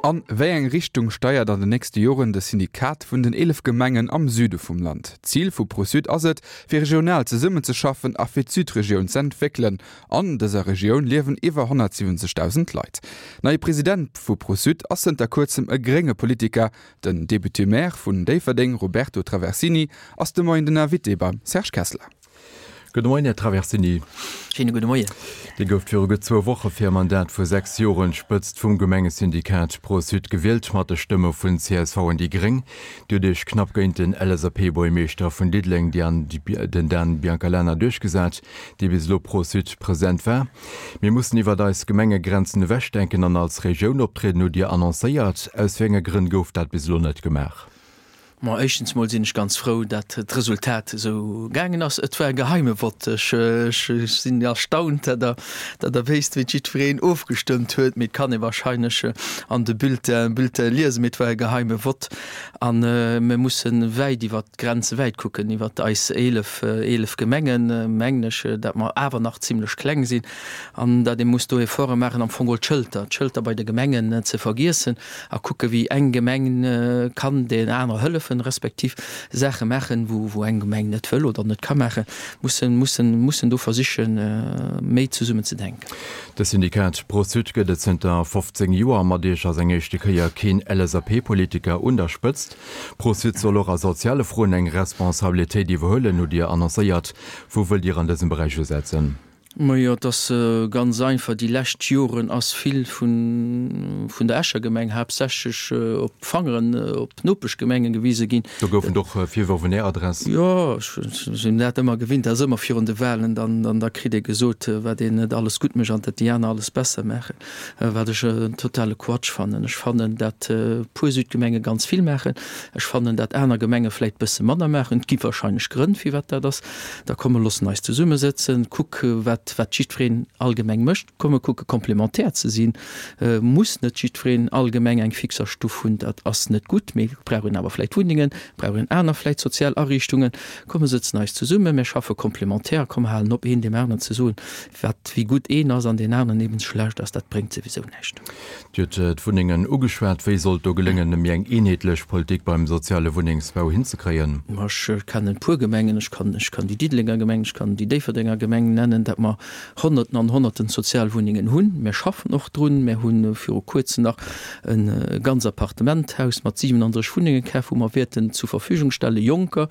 An wéi eng Richtung steiert an den nächste Joren de Syndikat vun den 11 Gemengen am Süde vum Land? D'Zil vu Pro-Sud ass et, fir regional zesummenzeschaffen a fir d'Südregioun z'entwéckelen. An dëser Regioun liewen iwwer 170.000 Leit. Neie President vu Pro-Sud ass zënter kuerzem e grénge Politiker. Den Député-Maire vun Déifferdeng Roberto Traversini ass de Moien den Invité beim Serge Kessler. Gudde Moien, Här Traversini. Schéine gudde Moien. Dir gouft viru gutt zwou Woche fir e Mandat vu 6 Joren d'Spëtzt vum Gemengesyndikat Pro-Sud gewielt, mat de Stëmme vun csv an déi Gréng. Dir hutt Iech knapp géint den LSAP-Buergermeeschter vun Diddeleng, den Dan Biancalana, duerchgesat, dee bis elo Pro-Sud President war. Mir mussen iwwert eis Gemengegrenzen ewechdenken an als Regioun optrieden, hutt Dir annoncéiert. Aus wéi enge Grënn gouf dat bis elo net gemaach? Ma éischtens mol sinn ech ganz frou, dat d'Resultat esou gaangen ass. Et war e geheime Vott. Ech sinn erstaunt, dat Der, dat Der wéisst, wéi jiddwereen ofgestëmmt huet. Mee et kann ee wahrscheinlech an de Bulletin, Bulletin liesen. Mee et war e geheime Vott. A mir musse wäit iwwert d'Grenze wäit kucken, iwwert eis 11, 11 Gemengen, mengen ech, dat mer awer nach zimlech kleng sinn an dat ee muss do Efforte maachen, am Fong geholl d'Schëlter, d'Schëlter bei de Gemengen ze vergiessen a kucke wéi eng Gemeng kann där anerer hëllefen, respektiv Saache maachen, wou, wou eng Gemeng net wëll oder net ka maachen, mussen, mussen, mussen do versichen, méi zesummen ze denken. De Syndikat Pro-Sud gëtt et zënter 15 Joer. Mat Iech ass eng éischte Kéier keen LSAP-Politiker un der Spëtzt. Pro-Sud soll och a soziale Froen eng Responsabilitéit iwwerhuelen, hutt Dir annoncéiert. Wou wëllt Dir an dësem Beräich usetzen? Majo, et ass ganz einfach, Déi lescht Joren ass vill vun der Escher Gemeng haaptsächlech op d'Fangeren op d'Nopeschgemenge gewise ginn. Do goufen et och Virwërf un Är Adress. Jo, ech sinn dat ëmmer gewinnt, dat ass ëmmer virun de Wahlen, dann da kritt ee gesot, wat een net alles gutt mécht an dat déi aner alles besser maachen, wat ech en totale Quatsch fannen. Ech fannen, dat e puer Südgemenge ganz vill maachen. Ech fannen, dat aner Gemenge vläicht bësse manner maachen. Et gi wahrscheinlech Grënn, firwat dat ass. Da komm mer loossen eis zesummesëtzen, kuck wat wat jiddwereen allgemeng mécht, komm mer kucke komplementär ze sinn. Muss net jiddwereen allgemeng eng Fixerstuff hunn, dat ass net gutt, mee brauch een awer vläicht Wunnengen, brauch een aner vläicht sozial Ariichtungen. Komm mer sëtzen eis zesummen, mir schaffe komplementär, komm mer halen op een deem aneren ze soen, wat wéi gutt een ass an deen aneren eben schlecht ass, dat bréngt souwisou näischt. Dir hutt d'Wunnengen ugeschwat. Wéi soll et do geléngen, méi eng eenheetlech Politik beim soziale Wunnengsbau hinzekréien? Ma ech kennen e puer Gemengen, ech kann ech kann déi Diddelenger Gemeng, ech kann déi Déifferdenger Gemeng nennen, dat mer Honnerten an Honnerten Sozialwunnengen hunn. Mir schaffen och drun. Mir hu viru Kuerzem nach e ganz Appartementhaus mat 37 Wunnenge kaf, wou mer wäerten zur Verfügung stelle Jonker,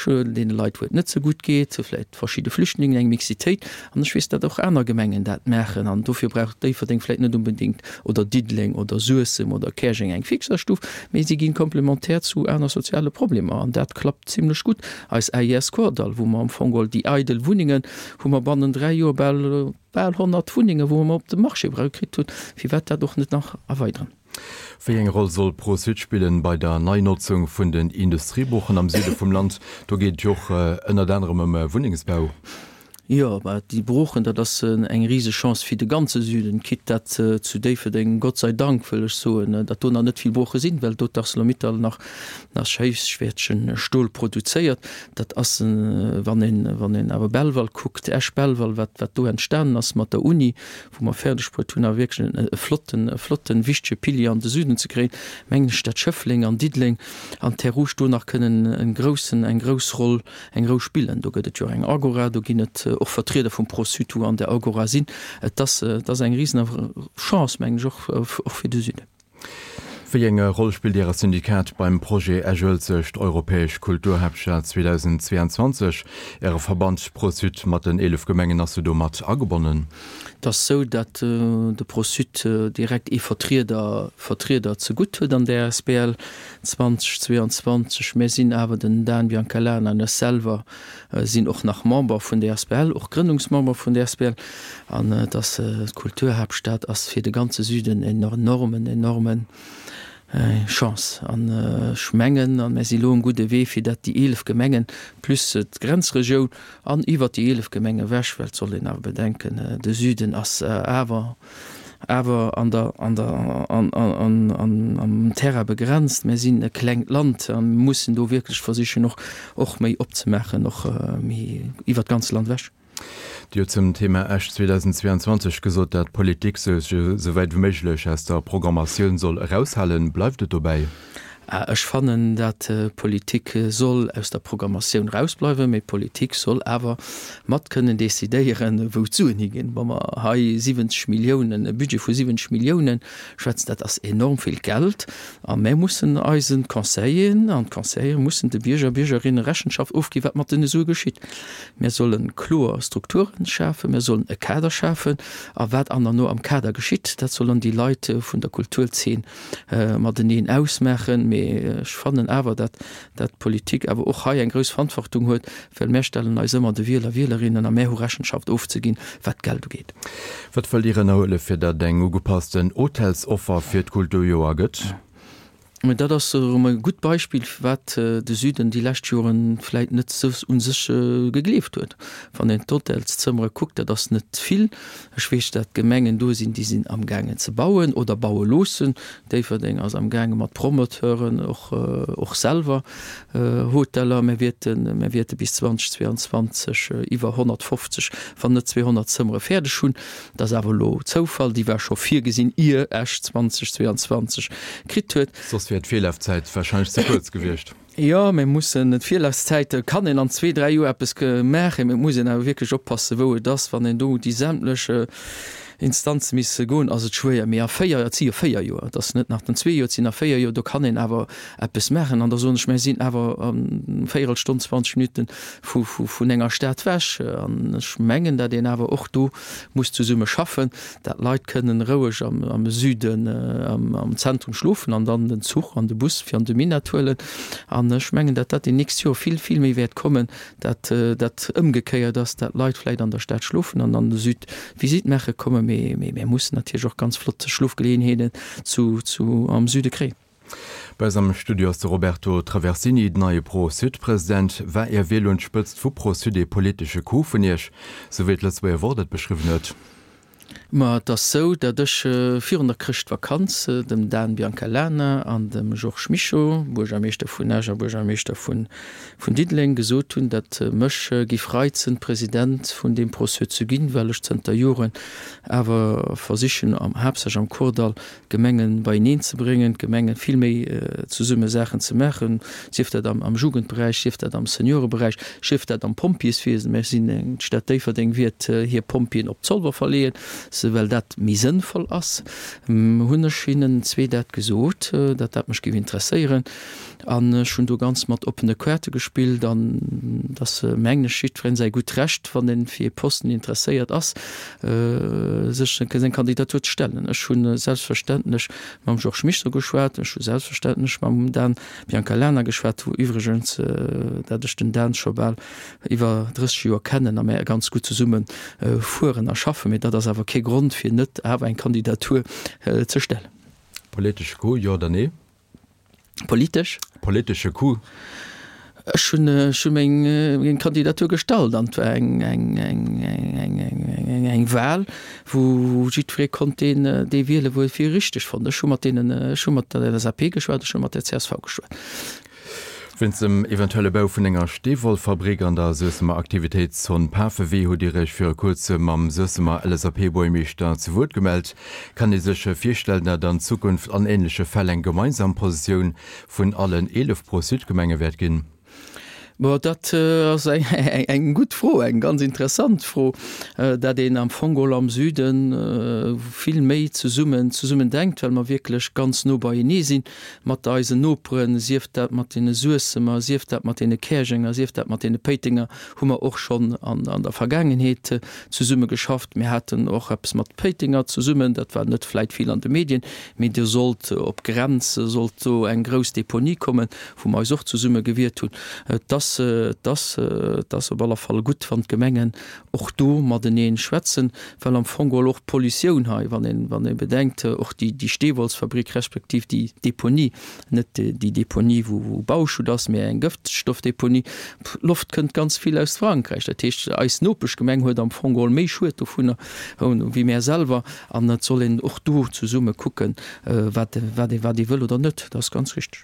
deene Leit, wou et net esou gutt geet, vläicht verschidde Flüchtlingen, eng Mixitéit. An ech weess, datt och aner Gemengen dat maachen. An dofir brauch Déifferdeng vläicht net unbedéngt, oder Diddeleng oder Suessem oder Käerjeng eng Fixerstuff, mee si gi komplementär zu aner soziale Problemer. An dat klappt zimlech gutt. Eis AIS Kordall, wou mer am Fong geholl déi eidel Wunnengen, wou mer bannen 3 Joer bal bal 100 Wunnengen, wou mer op de Marché era kritt hunn, firwat dat och net nach erweideren? Wéi eng Roll soll Pro-Sud spillen bei der Neinotzung vun den Industriebroochen am Süde vum Land? Do geet et jo och ënnert anerem ëm Wunnengsbau. Jo, mä déi Broochen, dat ass eng riseg Chance fir de ganze Süden, quitte dat zu Déifferdeng, Gott sei Dank wëll ech soen, datt do nach net vill Brooche sinn, well do d'Arcelor-Mittal nach nach héichwäertegen Stol produzéiert. Dat ass, wann een, wann een awer Belval kuckt, Esch-Belval, wat, wat do entstanen ass mat der Uni, wou mer fäerdeg bruet hunn, awer wierklech e flotten, e flotten, wichtege Pilier an de Süden ze kréien, mengen ech, dat Schëffleng an Diddeleng an Terres Rouges do nach kënnen en groussen, eng grouss Roll, eng Rou spillen. Do gëtt et jo och eng Agora, do ginn et och Vertrieder vum Pro-Sud, wou an der Agora sinn. Et ass, et ass eng risen Chance, mengen ech, och, och fir de Süden. Wéi eng Roll spillt Äre Syndikat beim Projet Esch-Uelzecht, Europäesch Kulturhaaptstad 2022? Äre Verband Pro-Sud mat den 11 Gemengen ass jo do mat agebonnen. Et ass sou, datt de Pro-Sud direkt ee Vertrieder Vertrieder zegutt huet an där asbl 2022. Mir sinn awer, den Dan Biancalana an ech selwer sinn och nach Member vun där asbl, och Grënnungsmember vun där asbl. An et ass, d'Kulturhaaptstad ass fir de ganze Süden en enormen, enormen Chance. An ech mengen, a mir si lo um gudde Wee, fir dat déi 11 Gemengen plus d'Grenzregioun an iwwert déi 11 Gemenge ewech, well et soll een awer bedenken, de Süden ass awer, awer an der, an der, an, an, an, am Terrain begrenzt. Mir sinn e klengt Land a mussen do wierklech versichen och, och méi opzemaachen, och méi iwwert d'ganzt Land ewech. Dir hutt zum Thema Esch 2022 gesot, dat d'Politik sech esou wäit wéi méiglech aus der Programmatioun soll eraushalen. Bleift et dobäi? Ech fannen, dat d'Politik soll aus der Programmatioun erausbleiwen, mee d'Politik soll awer mat kënnen decidéieren, wou d'Suen higinn. Wa mer hei 70 Milliounen, e Budget vu 70 Milliounen schwätzen, dat ass enorm vill Geld. A mär mussen eisen Conseilleren an d'Conseillere mussen de Bierger, Biergerinne Rechenschaft ofginn, wat mat deene Sue geschitt. Mär solle kloer Strukturen schafen, mär sollen e Kader schafen, a wat an derno am Kader geschitt, dat sollen déi Leit vun der Kulturzeen mateneen ausmaachen. Mee ech fannen awer, dat dat d'Politik awer och hei eng grouss Verantwortung huet, well mär stellen eis ëmmer de Wieler, Wielerinnen a mär hu Rechenschaft ofzeginn, wat d'Geld ugeet. Wat wëllt Dir ënnerhuele fir datt eng ugepassten Hotelsoffer fir d'Kulturjoer gëtt? Mä dat ass erëm e gutt Beispill, wat de Süden déi lescht Joren vläit net sou u sech gegleeft huet. Wann een d'Hotelszëmmere kuckt, dat ass net vill. Ech weess, dat Gemengen do sinn, déi sinn amgaangen ze bauen oder baue loossen. Déifferdeng ass amgaange mat Promoteuren och, och selwer Hoteller. Mir wäerten, mir wäerte bis 2022 iwwer 150, wann net 200 Zëmmere fäerdeg hunn. Dat ass awer elo Zoufall, déi war scho virgesinn, ier Esch 2022 kritt huet. Soss wier d'Virlafzäit warscheinlech ze kuerz gewiescht. Jo, mir mussen, d'Virlafzäit kann een an zwee, dräi Joer eppes maachen, mee et muss een awer wierklech oppassen, wou et ass. Wann een do déi sämtlech Instanze misste goen, ass et schwéier. Mee a véier, et si jo véier Joer, et ass net nach den zwee Joer, et sinn a véier Joer, do kann een awer eppes maachen. An da soen ech, mir sinn awer eng Véierelstonn, 20 Minutten vu vun enger Stad wech. An ech mengen, datt een awer och do muss zesumme schaffen, dat d'Leit kënnen roueg am Süden am Zentrum schlofen an dann den Zuch an de Bus fir an de Minett huelen. An ech mengen, dat dat déi nächst Joer vill, vill méi wäert kommen, dat dat ëmgekéiert ass, dat d'Leit vläicht an der Stad schlofen an an de Süd Visite maache kommen. Mee mir mussen natierlech och ganz flott Schlofgeleeënheeten zu am Süde kréien. Bei eis am Studio ass de Roberto Traversini, den neie Pro-Sud-President. War Är Wiel un d'Spëtzt vu Pro-Sud ee politesche Coup vun Iech, sou wéi d'Lëtzebuerger Wort et beschriwwen huet? Ma et ass sou, datt ech virun der Chrëschtvakanz dem Dan Biancalana an dem Georges Mischo, Buergermeeschter vun Esch a Buergermeeschter vun Diddeleng, gesot hunn, datt mech giff reizen, President vun deem Pro-Sud ze ginn, well ech zënter Joren awer versichen, haaptsächlech am Kordall, d'Gemengen beieneen ze bréngen, d'Gemengen vill méi zesumme Saachen ze maachen, sief dat am Jugendberäich, sief dat am Senioreberäich, sief dat am Pompjeeswiesen. Mir sinn eng, d'Stad Déifferdeng wiert hir Pompjeeën op Zolwer verleeën, well dat méi sënnvoll ass. Hunn ech hinnen zwee dat gesot, datt dat mech géif interesséieren. An ech hunn do ganz mat oppene Kaarte gespillt an et ass, mengen ech, jiddwereen säi gutt Recht, wann e fir ee Posten interesséiert ass, sech seng Kandidatur ze stellen. Ech hu selbstverständlech mam Georges Mischo geschwat, ech hu selbstverständlech mam Dan Biancalana geschwat, wou iwwregens, dat ech den Dan scho bal iwwer 30 Joer kennen a mär ganz gutt zesumme fueren a schaffen. Mee dat ass awer kee Grond, fir net awer eng Kandidatur ze stellen. Politesche Coup, jo oder nee? Politesch? Politesche Coup. Ech hunn ech hu meng meng Kandidatur gestallt an et war eng eng eng eng eng eng eng Wahl, wou jiddweree konnt deen dee wielen, wou e fir richteg fonnt. Ech hu mat deenen ech hu mat der LSAP geschwat, ech hu mat der csv geschwat. Wéinst dem eventuelle Bau vun enger Steewollfabrik an der Suessemer Aktivitéitszon Pafewee hutt Dir Iech viru kuerzem mam Suessemer LSAP-Buergermeeschter zu Wuert gemellt. Kann ee sech virstellen, datt an Zukunft an änleche Fäll eng gemeinsam Positioun vun allen 11 Pro-Sud-Gemenge wäert ginn? Bon, dat ass eng gutt Fro, eng ganz interessant Fro, dat een am Fong geholl am Süde vill méi zesummen zesummen denkt, well mer wierklech ganz no beienee sinn mat eisen Noperen, sief dat mat deene Suessemer, sief dat mat deene Käerjenger, sief dat mat deene Péitenger, hu mer och schonn an der Vergaangenheet zesumme geschafft. Mir haten och eppes mat Péitenger zesummen, dat war net vläit vill an de Medien, mee do sollt op Grenz sollt do eng grouss Deponie kommen, wou mer eis och zesumme gewiert hunn. Et ass, et ass, et ass op alle Fall gutt, wann d'Gemengen och do matenee schwätzen, well am Fong geholl och d'Pollutioun hei, wann een, wann ee bedenkt, och déi, déi Steewollsfabrik respektiv déi Deponie, net déi Deponie wou, wou Bauschutt ass, mä eng Gëftstoffdeponie, Loft kënnt ganz vill aus Frankräich. Dat heescht, eis Nopeschgemeng huet am Fong geholl méi Schued dovunner wéi mär selwer. An et soll een och do zesumme kucken, wat, wat ee, wat ee wëll oder net. Dat ass ganz richteg.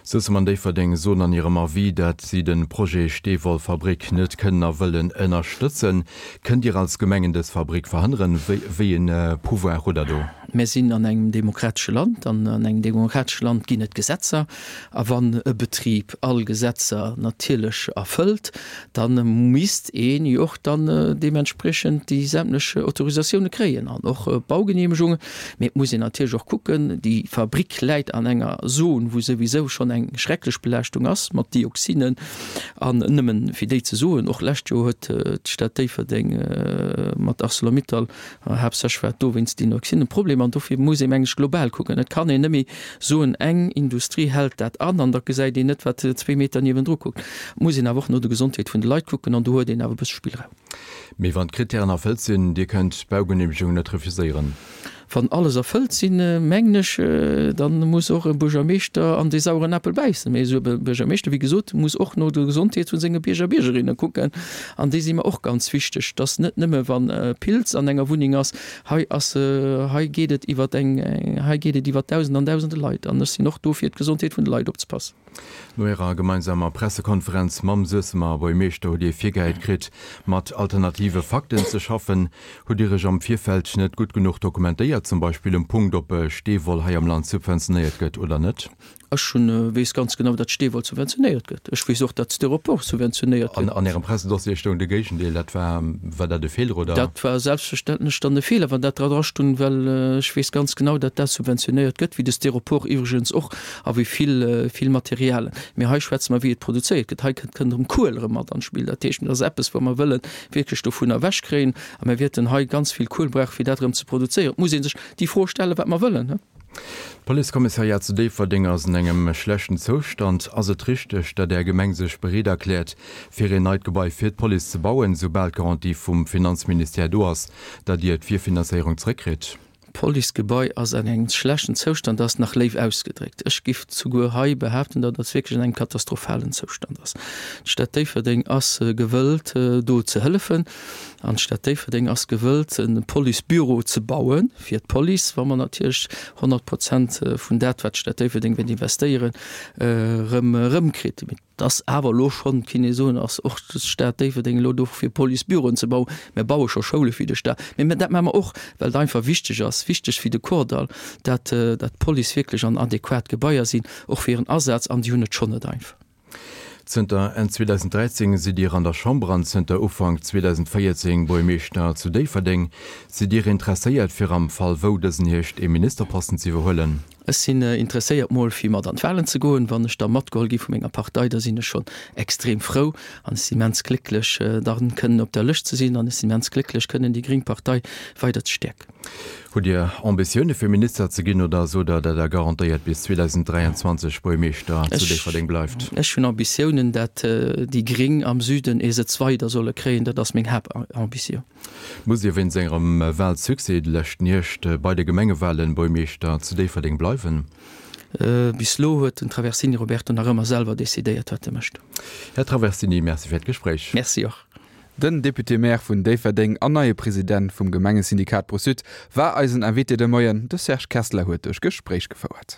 Suessem an Déifferdeng soen an hirem Avis, dat si de. de Projet Steewollfabrik net kënnen a wëllen ënnerstëtzen. Kënnt Dir als Gemengen dës Fabrik verhënneren? Wéi e Pouvoir hutt Der do? Mir sinn an engem demokratesche Land an an engem demokratesche Land ginn et Gesetzer. A wann e Betrib all Gesetzer natierlech erfëllt, da misst een jo och dann deementspriechend déi sämtlech Autorisatioune kréien an och Baugeneemegungen. Mee et muss een natierlech och kucken, déi Fabrik läit an enger Zon, wou souwisou schonn eng schrecklech Belaaschtung ass mat Dioxinen. An nëmmen fir déi ze soen, och lescht Joer huet d'Stad Déifferdeng mat Arcelor-Mittal, haaptsächlech war et do wéinst Dioxinen, e Problem. An dofir muss ee meng ech global kucken. Et kann een net méi soen, eng Industrie hält dat an an da gesäit een net, wat zwee Meter niewendru kuckt. Et muss een awer och no der Gesondheet vun de Leit kucken an do huet een awer e bësse Spillraum. Mee wann d'Krittären erfëllt sinn, Dir kënnt d'Baugeneemegung net refuséieren? Wann alles erfëllt sinn, mengen ech, da muss och e Buergermeeschter an dee saueren Apel bäissen. Mee esou e Buergermeeschter, wéi gesot, muss och no der Gesondheet vu senge Bierger a Biergerinne kucken. An déi si mer och ganz wichteg, dass net nëmme wann e Pilz an enger Wunneng ass, hei ass, hei geet et iwwer eng, hei geet et iwwer Dausende an Dausende Leit. An ech sinn och do fir d'Gesondheet vun de Leit opzepassen. No ärer gemeinsamer Pressekonferenz mam Suessemer Buergmeeschter hutt Dir virgehäit kritt, mat alternative Fakten ze schaffen. Hutt Dir Iech am Virfeld net gutt genuch dokumentéiert, zum Beispill um Punkt, ob Steewoll hei am Land subventionéiert gëtt oder net? Ech hunn, weess ganz genau, datt Steewoll subventionéiert gëtt. Ech weess och, datt Styropor subventionéiert gëtt. An Ärem Pressedossier stoung de Géigendeel. Dat war, war dat e Feeler oder? Dat war selbstverständlech dann e Feeler, wann dat dra stung, well ech weess ganz genau, datt dat subventionéiert gëtt, wéi de Styropor iwwregens och a wéi vill, vill Materialien. Mee hei schwätze mer, wéi et produzéiert gëtt. Hei kënnt, kënnt erëm Kuel erëm mat an d'Spill. Dat heescht, dat ass eppes, wou mer wëlle wierklech dovunner ewechkréien a mir wäerten hei ganz vill Kuel brauchen, fir dat erëm ze produzéieren. Et muss ee sech déi Fro stellen, wat mer wëllen. D'Policekommissariat zu Déifferdeng ass an engem schlechten Zoustand. Ass et richteg, datt Är Gemeng sech bereet erkläert, fir een neit Gebai fir d'Police ze bauen, soubal d'Garantie vum Finanzministère do ass, datt Dir d'Virfinanzéierung zréckkritt? D'Policegebai ass an engem schlechten Zoustand ass nach léif ausgedréckt. Ech giff souguer hei behaapten, datt et wierklech an engem katastrophalen Zoustand ass. D'Stad Déifferdeng ass gewëllt, do ze hëllefen. An d'Stad Déifferdeng ass gewëllt, e Policebüro ze baue fir d'Police, wa mer natierlech 100 Prozent vun dat, wat d'Stad Déifferdeng wäert investéieren, erëm erëmkritt. Mee et ass awer elo schonn, et kann ee soen, ass och d'Stad Déifferdeng elo do fir Policebüroen ze bauen. Mir baue scho Schoule fir de Staat. Mee dat maache mer och, well et einfach wichteg ass, wichteg fir de Kordall, dat d'Police wierklech an adequat Gebaier sinn, och fir hiren Asaz. An déi hunn et schonn net einfach. Zënter Enn 2013 sidd Dir an der Chamber an zënter Ufank 2014 Buergmeeschter zu Déifferdeng. Sidd Dir interesséiert fir am Fall wou dësen Hierscht ee Ministerposten ze iwwerhuelen? Ech sinn interesséiert mol fir mat an d'Wahlen ze goen. Wann ech da matgeholl gi vu menger Partei, da sinn ech schonn extrem frou an ech sinn immens glécklech dann kënnen op der Lëscht ze sinn an ech sinn immens glécklech kënnen déi gréng Partei weider ze stäerken. Hutt Dir Ambitioune fir Minister ze ginn oder sot Der, dat Der garantéiert bis 2023 Buergmeeschter zu Déifferdeng bleift? Ech hunn Ambitiounen, dat déi Gréng am Süden ee Sëtz weider solle kréien. Dat ass meng Haaptambitioun. Musst Dir wéinst Ärem Wahlsuccès de leschten Hierscht bei de Gemengewahlen Buergmeeschter zu Déifferdeng bleiwen? Bis elo huet den Traversini Roberto nach ëmmer selwer decidéiert, wat e mécht. Här Traversini, Merci fir d'Gespréich. Merci och. Den Député-Maire vun Déifferdeng an neie President vum Gemengesyndikat Pro-Sud war eisen Invité de Moien. De Serge Kessler huet duerch Gespréich gefouert.